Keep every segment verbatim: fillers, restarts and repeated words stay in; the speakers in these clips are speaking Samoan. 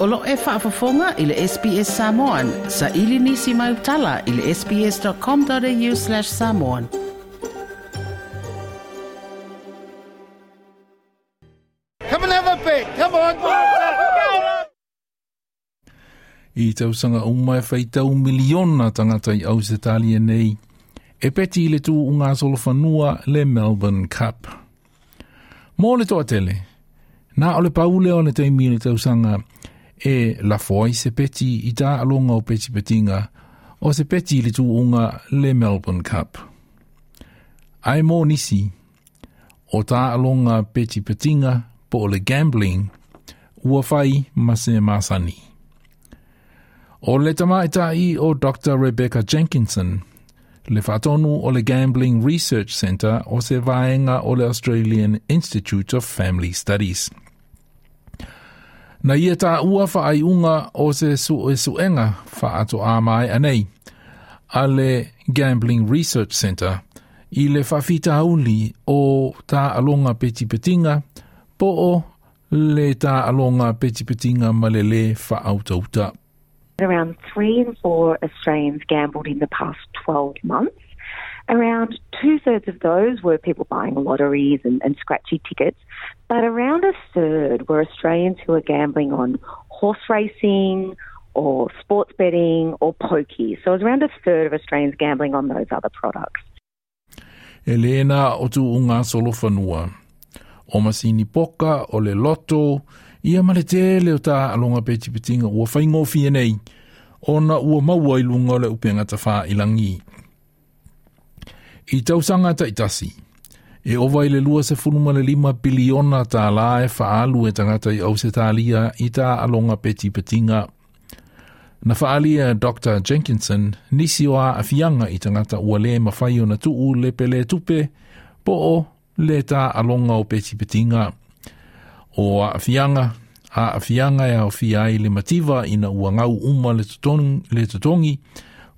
O lo e faafofoga i le S B S Samoan, sa ili nisi mai utala i le sbs.com.au slash samoan. Come and have a bit. Come on. I tausanga uma e whaitau miliona tangata i Ausetalia nei, e peti i le tu unga solofanua le Melbourne Cup. Mō le toa tele, nā o le paule o le teimi le tausanga e lafoai se peti i tā alonga o peti petinga o se peti i le tu unga le Melbourne Cup. Ai mō nisi, o tā alonga peti petinga po o le gambling, ua whai ma se masani. O le tamaitai o Doctor Rebecca Jenkinson, le whaatonu o le Gambling Research Centre o se vaenga o le Australian Institute of Family Studies. Na ia tā ua whaaiunga o se suesuenga whaato a mai anei, a le Gambling Research Centre, i le whawhitauli o tā alonga petipetinga, po o le tā alonga petipetinga malele whaautauta. Around three in four Australians gambled in the past twelve months. Around two-thirds of those were people buying lotteries and, and scratchy tickets, but around a third were Australians who were gambling on horse racing or sports betting or pokies. So it was around a third of Australians gambling on those other products. Elena o tu unga solofanua. O masini poka, o le loto, ia ma le tele o tā alonga petipetinga ua whaingōwhia nei, ona ua maua i lunga o le upenga tawha i langi. I tausanga taitasi, e ova i le lua se funu ma le lima biliona tā la e whaalu e tangata i Ausetalia i tā alonga petipetinga. Na whaalia Doctor Jenkinson, nisi o a awhianga i tangata ua le mawhai o na tuu le pele tupe, po o le tā alonga o petipetinga. O a awhianga, a awhianga e au ai le mativa ina ua ngau uma le totongi, le totongi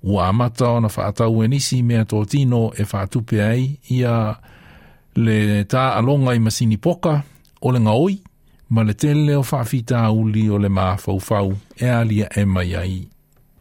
ua amata ona whaatau e nisi mea tōtino e whaatupe ai ia le tā alonga i masini poka o le ngaoi ma le tele o whaafita uli o le mafaufau e alia e mai ai.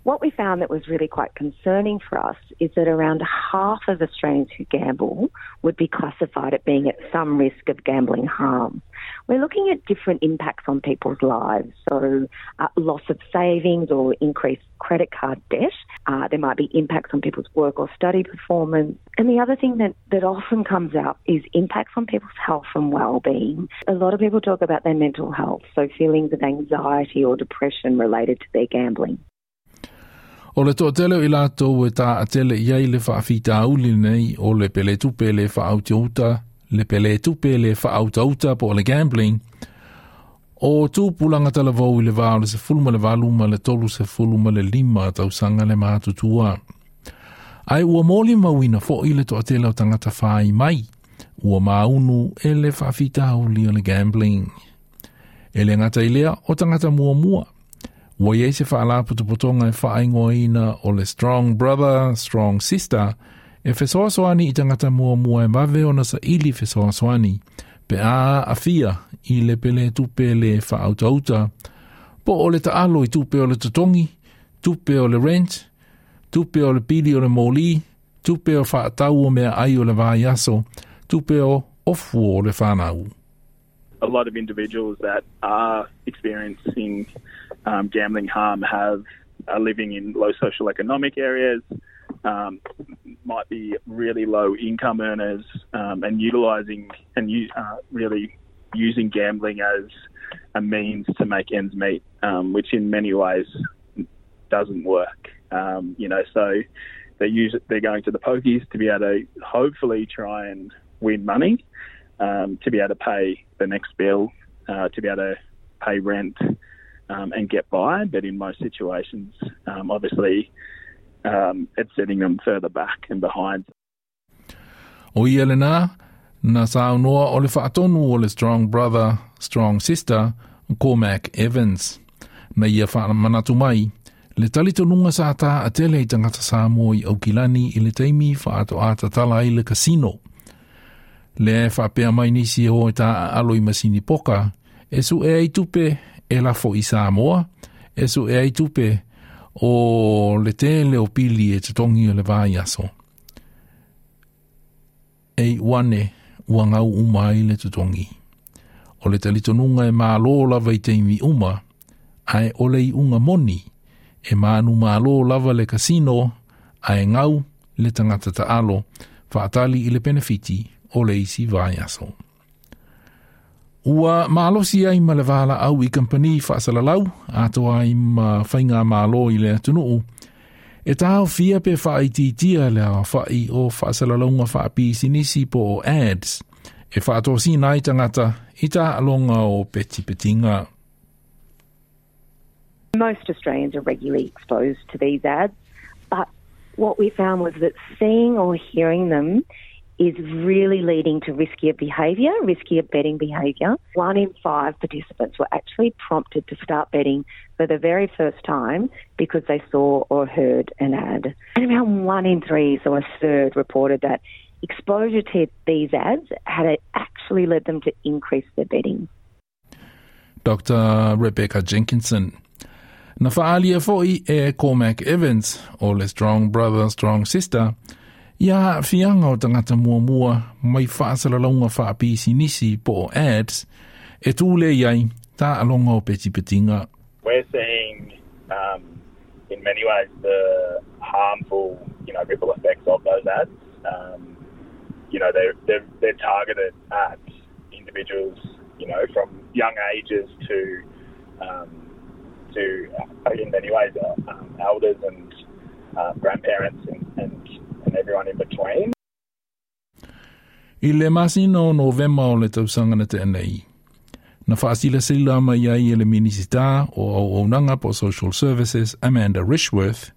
What we found that was really quite concerning for us is that around half of Australians who gamble would be classified at being at some risk of gambling harm. We're looking at different impacts on people's lives, so uh, loss of savings or increased credit card debt. Uh, there might be impacts on people's work or study performance. And the other thing that, that often comes out is impacts on people's health and well-being. A lot of people talk about their mental health, so feelings of anxiety or depression related to their gambling. O le toatele i lātou e tā atele iai le whaafita auli nei o le pele tupe le whaautauta, le pele tupe le whaautauta po o le gambling, o tūpulanga talavau i le vā o le se fulu ma le valu ma le tolu se fulu ma le lima tausanga le mātutua. Ai ua moli mauina fo i le toatele o tangata whai mai, ua maunu e le whaafita auli o le gambling. E le ngata i lea o tangata mua mua. Ua iei se whaala putuputonga e whaingoina o le Strong Brother, Strong Sister, e fesoasoani i tangata mua mua e mawe ona sa ili fesoasoani, pe a awhia i le pele tupe le whaautauta, po o le taalo i tupe o le totongi, tupe o le rent, tupe o le pili o le moli, tupe o whaatau o mea ai o le vaiaso, tupe o ofu o le whanau. A lot of individuals that are experiencing um, gambling harm have are living in low social economic areas, um, might be really low income earners, um, and utilising and uh, really using gambling as a means to make ends meet, um, which in many ways doesn't work. Um, you know, so they use they're going to the pokies to be able to hopefully try and win money, um, to be able to pay the next bill, uh, to be able to pay rent, um, and get by. But in most situations, um, obviously, um, it's setting them further back and behind. O ia le nā, na saunoa o le whaatonu o le Strong Brother, Strong Sister, Cormac Evans. Na ia whaamanatu mai, le talitonunga sa tā a tele i tangata Samoa i Aukilani i le teimi whaato ātatala i le kasino. Le e whaapea mai nisi e hoi tā a alo i masini poka, e su e ai tupe E lafo i Samoa, e su e ai tupe o le tele o pili e totogi o le vaiaso. E iu ane ua gau uma ai le totogi. O le talitonuga e mālō lava i taimi uma, ae o le iuga moni, e manumalo lava le kasino, ae gau le tagata taalo, faatali i le penefiti o le isi vaiaso. Ua malosi ai ma le valaau i kampani faasalalau, atoa ai ma faigamalo i le atunuu, e taofia pe faaitiitia le aofai o faasalalauga faapisinisi po o ads, e faatosina ai tagata i taaloga o petipetiga. Most Australians are regularly exposed to these ads, but what we found was that seeing or hearing them is really leading to riskier behaviour, riskier betting behaviour. One in five participants were actually prompted to start betting for the very first time because they saw or heard an ad. And around one in three, so a third, reported that exposure to these ads had actually led them to increase their betting. Doctor Rebecca Jenkinson. Na faaalia foi e Cormac Evans o le Strong Brother Strong Sister ia aafiaga o tagata muamua mai faasalalauga faapisinisi po o ads e tulē ai taaloga o petipetiga. We're seeing um, in many ways the harmful, you know, ripple effects of those ads. Um, you know, they're, they're, they're targeted at individuals, you know, from young ages to, um, to uh, in many ways, uh, um, elders and uh, grandparents and, and, and everyone in between. I le masina o Novema o le tausaga na tea nei, na faasilasila mai ai e le Minisita o Auaunaga po Social Services Amanda Rishworth,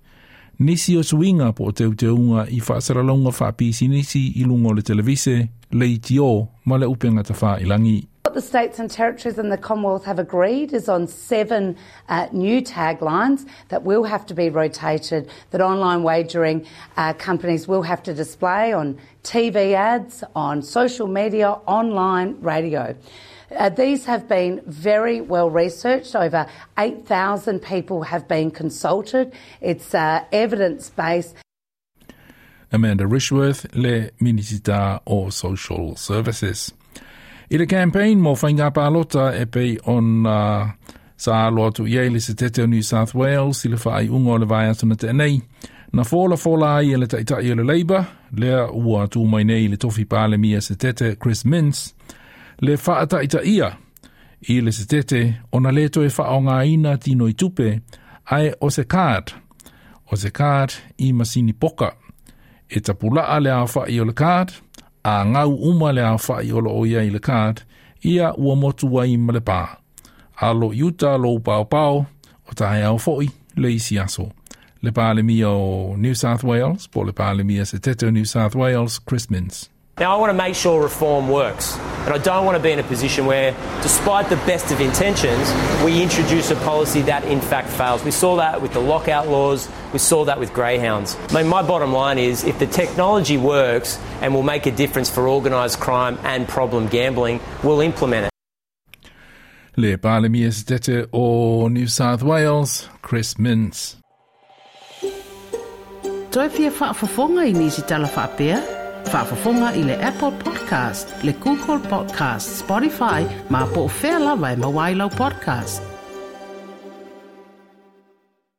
nisi o suiga po o teuteuga i faasalalauga faapisinisi i luga o le televise, leitio ma le upega tafailagi. What the states and territories and the Commonwealth have agreed is on seven uh, new taglines that will have to be rotated, that online wagering uh, companies will have to display on T V ads, on social media, online, radio. Uh, these have been very well researched. Over eight thousand people have been consulted. It's uh, evidence based. Amanda Rishworth, le Minisita o Social Services. I le campaign mo faiga palota e pei ona uh, sa alo atu i ai le setete o New South Wales i le faaiuga o le vaiaso na tea nei, na fola fola ai e le taitai o le Labour, lea ua tu mai nei le tofi palemia setete Chris Minns, le faataitaia i le setete ona le toe faaaogaina tinoi tupe, ae o se card, o se card i masini poka. E tapulaa le aofai o le card, a gau uma le aofai o loo i ai le card, ia ua motu ai ma le pā. Alo i uta lou paopao, o taeao foi le isi aso. Le Palemia o New South Wales, po le Palemia setete o New South Wales, Chris Minns. Now, I want to make sure reform works. And I don't want to be in a position where, despite the best of intentions, we introduce a policy that in fact fails. We saw that with the lockout laws, we saw that with greyhounds. I mean, my bottom line is if the technology works and will make a difference for organised crime and problem gambling, we'll implement it. Le Palemia setete o New South Wales, Chris Minns. Toe fia faafofoga i nisi tala faapea? Faafofoga i le Apple Podcast, le Google Podcast, Spotify, ma po o fea lava e maua ai lau podcast.